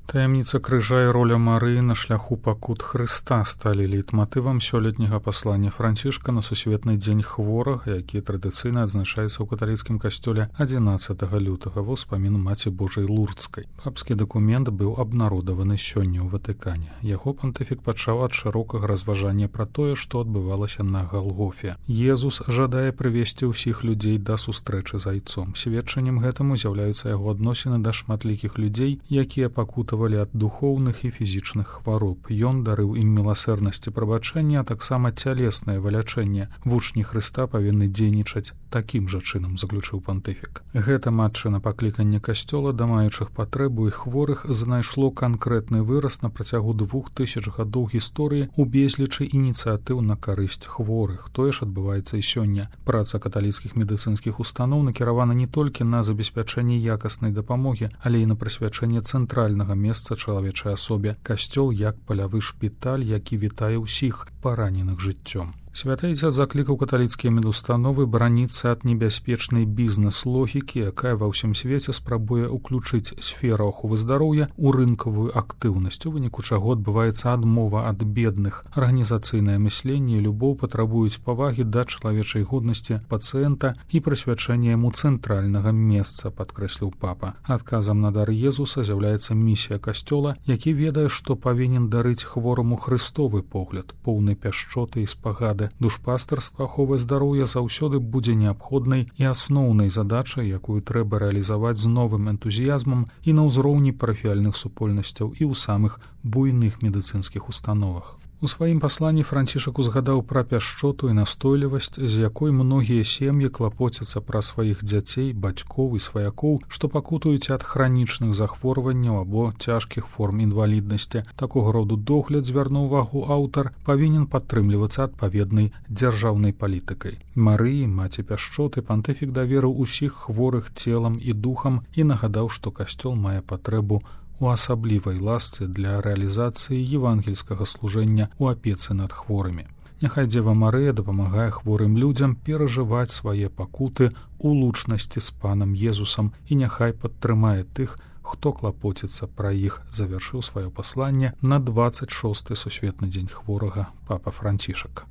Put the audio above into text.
Таямніца крыжа і роля Марыі на шляху пакут Хрыста сталі лейтматывам сёлетняга паслання Францішка на сусветны дзень хворага, які традыцыйна адзначаецца ў каталіцкім касцёле 11 лютага ва ўспамін Маці Божай Лурдскай. Папскі дакумент быў абнародаваны сёння ў Ватыкане. Яго пантыфік пачаў ад шырокага разважання пра тое, што адбывалася на Галгофе. Езус жадае прывесці ўсіх людзей да сустрэчы з айцом. Сведчаннем гэтаму з'яўляюцца яго адносіны да шматлікіх людзей, якія пакутавалі ад духоўных і фізічных хвароб. Ён дарыў ім міласэрнасць і прабачэнне, а таксама цялеснае вылячэнне. Вучні Хрыста павінны дзейнічаць такім жа чынам, заключыў пантыфік. Гэта матчына пакліканне касцёла да маючых патрэбу і хворых знайшло канкрэтны выраз на працягу 2000 гадоў гісторыі ў безлічы ініцыятыў на карысць хворых. Тое ж адбываецца і сёння. Праца каталіцкіх медыцынскіх устаноў накіравана не толькі на забеспячэнне якаснай дапамогі, але і на прысвячэнне цэнтральнага месца чалавечай асобе. Касцёл як палявы шпіталь, які вітае ўсіх параненых жыццём. Святайця заклікаў каталіцкія медустановы бараніцца ад небяспечнай бізнес-логікі, якая ва ўсім свеце спрабуе ўключыць сферу аховы здароўя ў рынкавую актыўнасць, у выніку чаго адбываецца адмова ад бедных. Арганізацыйнае мысленне і любоў патрабуюць павагі да чалавечай годнасці пацыента і прысвячэння яму цэнтральнага месца, падкрэсліў папа. Адказам на дар Езуса з'яўляецца місія касцёла, які ведае, што павінен дарыць хвораму хрыстовы погляд, поўны пяшчоты і спагады. Душпастарства аховы здароўя заўсёды будзе неабходнай і асноўнай задачай, якую трэба рэалізаваць з новым энтузіязмам і на ўзроўні парафіяльных супольнасцяў і ў самых буйных медыцынскіх установах. У сваім пасланні Францішак узгадаў пра пяшчоту і настойлівасць, з якой многія сем'і клапоцяцца пра сваіх дзяцей, бацькоў і сваякоў, што пакутуюць ад хранічных захворванняў або цяжкіх форм інваліднасці. Такога роду догляд, звярнуў увагу аўтар, павінен падтрымлівацца адпаведнай дзяржаўнай палітыкай. Марыі, маці пяшчоты, пантыфік даверыў усіх хворых целам і духам і нагадаў, што касцёл мае патрэбу у асаблівай ласцы для рэалізацыі евангельскага служэння ў апецы над хворымі. Няхай Дзева Марыя дапамагае хворым людзям перажываць свае пакуты ў лучнасці з панам Езусам і няхай падтрымае тых, хто клапоціцца пра іх, завяршыў сваё пасланне на 26-й сусветны дзень хворага папа Францішак.